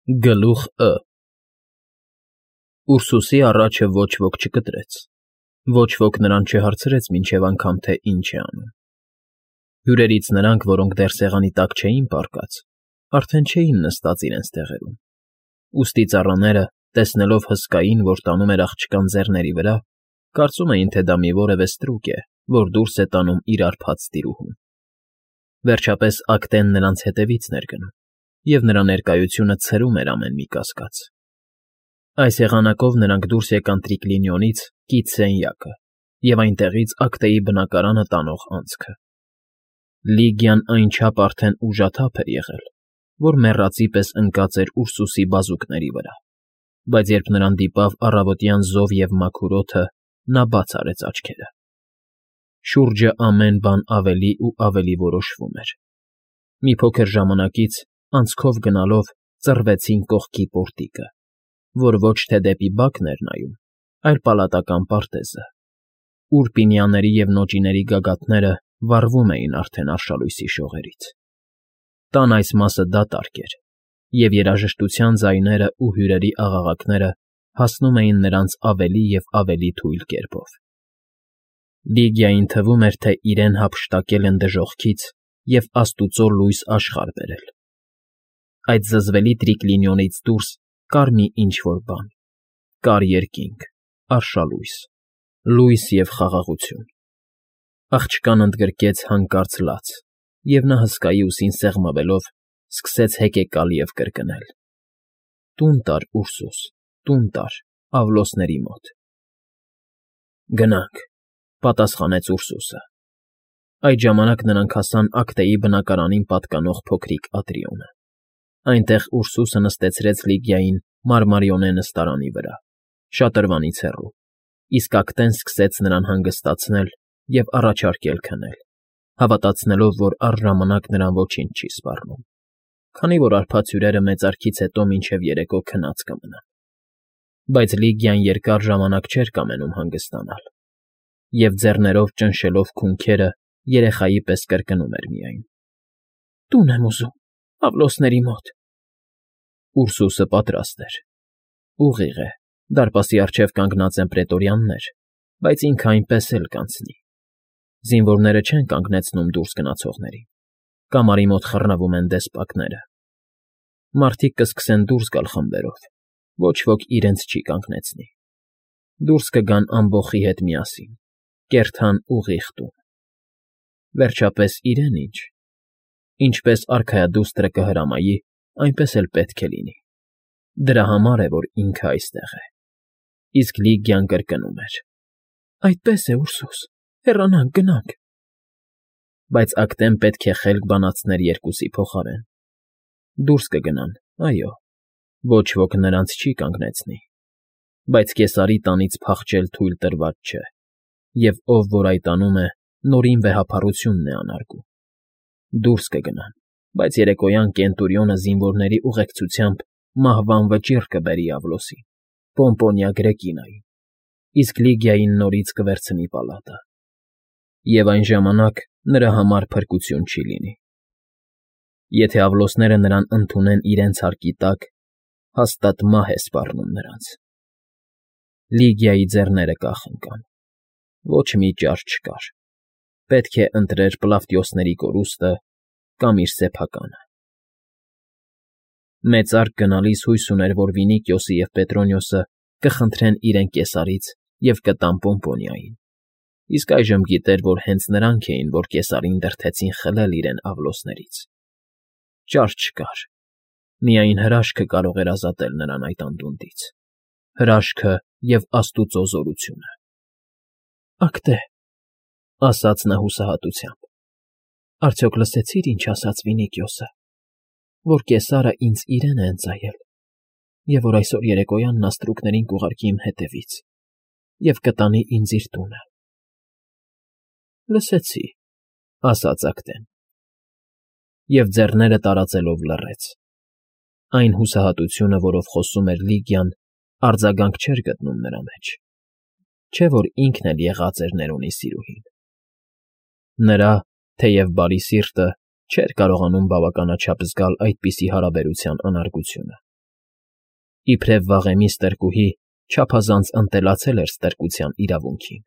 Գլուխ Ը Ուրսուսի առաջը ոչ ոք չկտրեց, ոչ ոք նրան չհարցրեց մինչև անգամ, թե ինչ է անում. հյուրերից նրանք, որոնք դեռ սեղանի տակ չէին պառկած, արդեն չէին նստած իրենց տեղերում, ուստի ծառաները, տեսնելով հսկային, որ տանում էր աղջկան ձեռների վրա, կարծում էին, թե դա մի որևէ ստրուկ է, որ դուրս է տանում իր արբած տիրուհուն. վերջապես Ակտեն նրանց հետևից էր գնում, և նրա ներկայությունը ցրում էր ամեն մի կասկած. Այս եղանակով նրանք դուրս եկան Տրիկլինիոնից կից սենյակը և այնտեղից Ակտեի բնակարանը տանող անցքը. Լիգիան այնչափ արդեն ուժաթափ էր եղել, որ մեռածի պես ընկած էր Ուրսուսի բազուկների վրա, բայց երբ նրան դիպավ առավոտյան զով և մաքուր օդը, նա բաց արեց աչքերը. շուրջը ամեն բան ավելի ու ավելի որոշվում էր. մի փոքր ժամանակից, անցքով գնալով, ծռվեցին կողքի պորտիկը, որ ոչ թե դեպի բակն էր նայում, այլ պալատական պարտեզը, ուր պինիաների և նոճիների գագաթները վառվում էին արդեն արշալույսի շողերից. տան այս մասը դատարկ էր, և երաժշտության ձայներն ու հյուրերի աղաղակները հասնում էին նրանց ավելի և ավելի թույլ կերպով. Լիգիային թվում էր, թե իրեն հափշտակել են դժոխքից և աստուծո լույս աշխարհ բերել. այդ զզվելի Տրիկլինիոնից դուրս կար մի ինչ֊որ բան, կար երկինք, արշալույս, լույս և խաղաղություն. աղջկան ընդգրկեց հանկարծ լաց, և նա հսկայի ուսին սեղմվելով սկսեց հեկեկալ և կրկնել. «Տուն տար, Ուրսուս, տուն տար, Ավլոսների մոտ»։ «Գնանք», ֊ պատասխանեց Ուրսուսը։ Այդ ժամանակ նրանք հասան Ակտեի բնակարանին պատկանող փոքրիկ ատրիոմը. այնտեղ Ուրսուսը նստեցրեց Լիգիային մարմարիոնե նստարանի վրա, շատրվանից հեռու, իսկ Ակտեն սկսեց նրան հանգստացնել և առաջարկել քնել, հավատացնելով, որ առժամանակ նրան ոչինչ չի սպառնում, քանի որ արբած հյուրերը մեծարգից հետո մինչև երեկո քնած կմնան. բայց Լիգիան երկար ժամանակ չէր կամենում հանգստանալ, և ձեռներով ճնշելով քունքերը, երեխայի պես կրկնում էր միայն. «Տուն եմ ուզում, Ավլոսների մոտ»։ Ուրսուսը պատրաստ էր. ուղիղ է, դարպասի առջև կանգնած են պրետորյաններ, բայց ինքը այնպես էլ կանցնի. զինվորները չեն կանգնեցնում դուրս գնացողներին, կամարի մոտ խռնվում են դեսպակները. մարդիկ կսկսեն դուրս գալ խմբերով, ոչ ոք իրենց չի կանգնեցնի. դուրս կգան ամբոխի հետ միասին, կերթան ուղիղ տուն. վերջապես իրեն ինչ, ինչպես արքայադուստրը կհրամայի, այնպես էլ պետք է լինի. դրա համար է, որ ինքը այստեղ է։ Իսկ Լիգիան կրկնում էր. «Այդպես է, Ուրսուս, հեռանանք, գնանք»։ Բայց Ակտեն պետք է խելք բանացներ երկուսի փոխարեն. դուրս կգնան, այո, ոչ ոք նրանց չի կանգնեցնի, բայց Կեսարի տանից փախչել թույլ տրված չէ, և ով որ այդ անում է, նորին վեհափառությունն է անարգում. դուրս կգնան, բայց երեկոյան Կենտուրիոնը զինվորների ուղեկցությամբ մահվան վճիռ կբերի Ավլոսին, Պոմպոնիա Գրեկինային, իսկ Լիգիային նորից կվերցնի պալատը, և այն ժամանակ նրա համար փրկություն չի լինի. եթե Ավլոսները նրան ընդունեն իրենց հարկի տակ, հաստատ մահ է սպառնում նրանց։ Լիգիայի ձեռները կախ ընկան, ոչ մի ճար չկար, պետք է ընտրեր Պլավտիոսների կորուստը կամ իր սեփականը։ Մեծարկ գնալիս հույս ուներ, որ Վինիկիոսը և Պետրոնիոսը կխնդրեն իրեն Կեսարից և կտան Պոմպոնիային, իսկ այժմ գիտեր, որ հենց նրանք էին, որ Կեսարին դրդեցին խլել իրեն Ավլոսներից։ Ճար չկար, միայն հրաշքը կարող էր ազատել նրան այդ անդունդից, հրաշքը և աստուծո զորությունը։ «Ակտե», ֊ ասաց նա հուսահատությամբ, ֊ արդյոք լսեցի՞ր, ինչ ասաց Վինիկիոսը, որ Կեսարը ինձ իրեն է ընծայել, և որ այսօր երեկոյան նա ստրուկներին կուղարկի իմ հետևից և կտանի ինձ իր տունը։ ֊ Լսեցի, ֊ ասաց Ակտեն, և ձեռները տարածելով լռեց. այն հուսահատությունը, որով խոսում էր Լիգիան, արձագանք չէր գտնում նրա մեջ, չէ՞ որ ինքն էլ եղած էր Ներոնի սիրուհին։ Նրա, թեև բարի սիրտը չէր կարողանում բավականաչափ զգալ այդպիսի հարաբերության անարգությունը, Իբրև վաղեմի ստրկուհի չափազանց ընտելացել էր ստրկության իրավունքին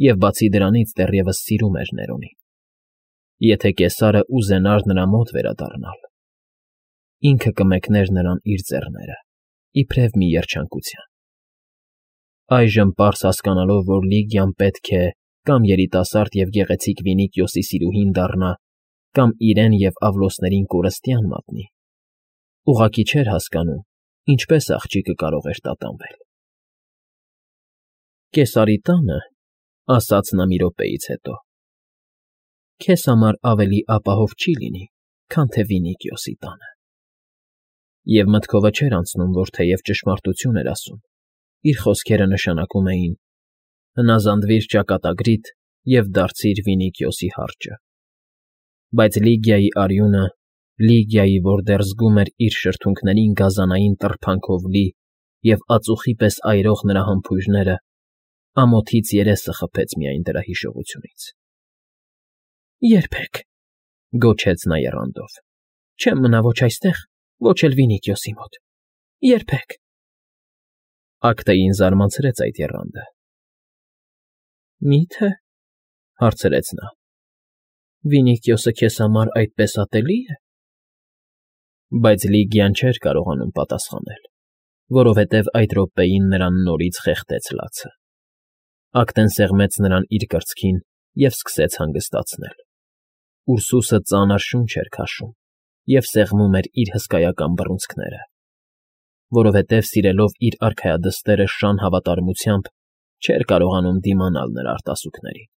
և բացի դրանից դեռևս սիրում էր Ներոնին։ Եթե կեսարը ուզենար նրա մոտ վերադառնալ, ինքը կմեկներ նրան իր ձեռները, իբրև մի երջանկության։ Այժմ պարզ հասկանալով, որ Լիգիան պետք է կամ երիտասարդ և գեղեցիկ Վինիքիոսի սիրուհին դառնա, կամ իրեն և Ավլոսներին կորստյան մատնի, ուղղակի չէր հասկանում, ինչպես աղջիկը կարող էր տատանվել։ «Կեսարի տանը,֊ ասաց նա մի րոպեից հետո,֊ քեզ համար ավելի ապահով չի լինի, քան թե Վինիքիոսի տանը»։ Եվ մտքովը չէր անցնում, որ թեև ճշմարտություն էր ասում, իր խոսքերը նշանակում էին. «Հնազանդվիր ճակատագրիդ և դարձիր Վինիքիոսի հարճը»։ Բայց Լիգիայի արյունը, Լիգիայի, որ դեռ զգում էր իր շրթունքներին գազանային տրփանքով լի և ածուխի պես այրող նրա համբույրները, ամոթից երեսը խփեց միայն դրա հիշողությունից։ «Երբեք,֊ գոչեց նա եռանդով,֊ չեմ մնա ոչ այստեղ, ոչ էլ Վինիքիոսի մոտ… Երբեք»։ Ակտեին զարմացրեց այդ եռանդը։ «Մի՞թե,֊ հարցրեց նա,֊ Վինիքիոսը քեզ համար այդպես ատելի է»։ Բայց Լիգիան չէր կարողանում պատասխանել, որովհետև այդ րոպեին նրան նորից խեղդեց լացը։ Ակտեն սեղմեց նրան իր կրծքին և սկսեց հանգստացնել։ Ուրսուսը ծանր շունչ էր քաշում և սեղմում էր իր հսկայական բռունցքները, որովհետև սիրելով իր արքայադստերը շան հավատարմությամբ չէր կարողանում դիմանալ նրա արտասուքներին։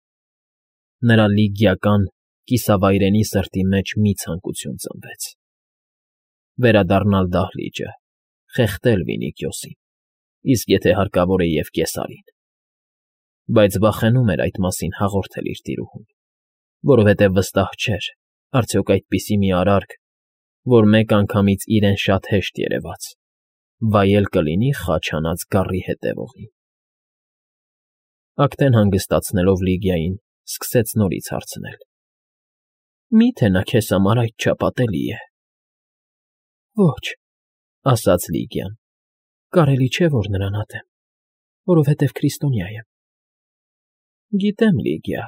Նրա լիգիական, կիսավայրենի սրտի մեջ մի ցանկություն ծնվեց. վերադառնալ դահլիճը, խեղդել Վինիքիոսին, իսկ եթե հարկավոր է և Կեսարին։ Բայց վախենում էր այդ մասին հաղորդել իր տիրուհուն, որովհետև վստահ չէր, արդյոք այդպիսի մի արարք, որ մեկ անգամից իրեն շատ հեշտ երևաց, վայել կլինի խաչ հանած գառի հետևողին։ Ակտեն հանգստացնելով Լիգիային, սկսեց նորից հարցնել. «Մի՞թե նա քեզ համար այդչափ ատելի է»։ «Ոչ,֊ ասաց Լիգիան,֊ կարելի չէ, որ նրան ատեմ, որովհետև քրիստոնյա եմ»։ «Գիտեմ, Լիգիա,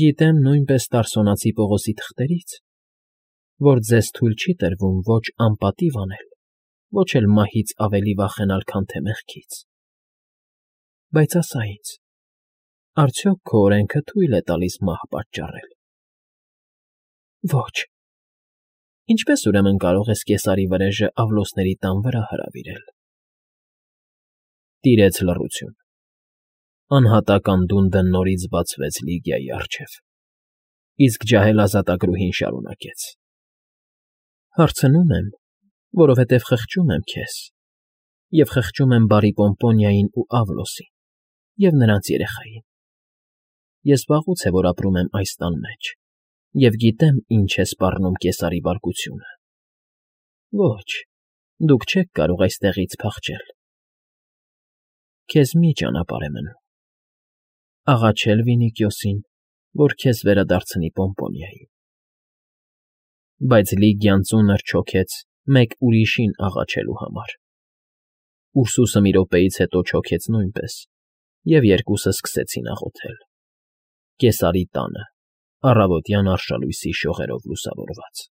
գիտեմ նույնպես Տարսոնացի Պողոսի թղթերից, որ ձեզ թույլ չի տրվում ոչ անպատիվ անել, ոչ էլ մահից ավելի վախենալ, քան թե մեղքից։ Բայց ասա ինձ, արդյոք քո օրենքը թույլ է տալիս մահ պատճառել»։ «Ոչ»։ «Ինչպե՞ս ուրեմն կարող ես Կեսարի վրեժը Ավլոսների տան վրա հրավիրել»։ Տիրեց լռություն։ Անհատական դունդը նորից բացվեց Լիգիայի առջև, իսկ ջահել-ազատագրուհին շարունակեց. «Հարցնում եմ, որովհետև խղճում եմ քեզ, և խղճում եմ բարի Պոմպոնիային ու Ավլոսին և նրանց երեխային։ Ես վաղուց է որ ապրում եմ այս տան մեջ և գիտեմ ինչ է սպառնում Կեսարի բարկությունը։ Ոչ, դուք չեք կարող այստեղից փախչել։ Քեզ մի ճանապարհ է մնում. աղաչել Վինիքիոսին, որ քեզ վերադարձնի Պոմպոնիային»։ Բայց Լիգիան ծունր չոքեց մեկ ուրիշին աղաչելու համար։ Ուրսուսը մի րոպեից հետո չոքեց նույնպես, և երկուսը սկսեցին աղոթել. Կեսարի տանը, առավոտյան արշալույսի շողերով լուսավորված։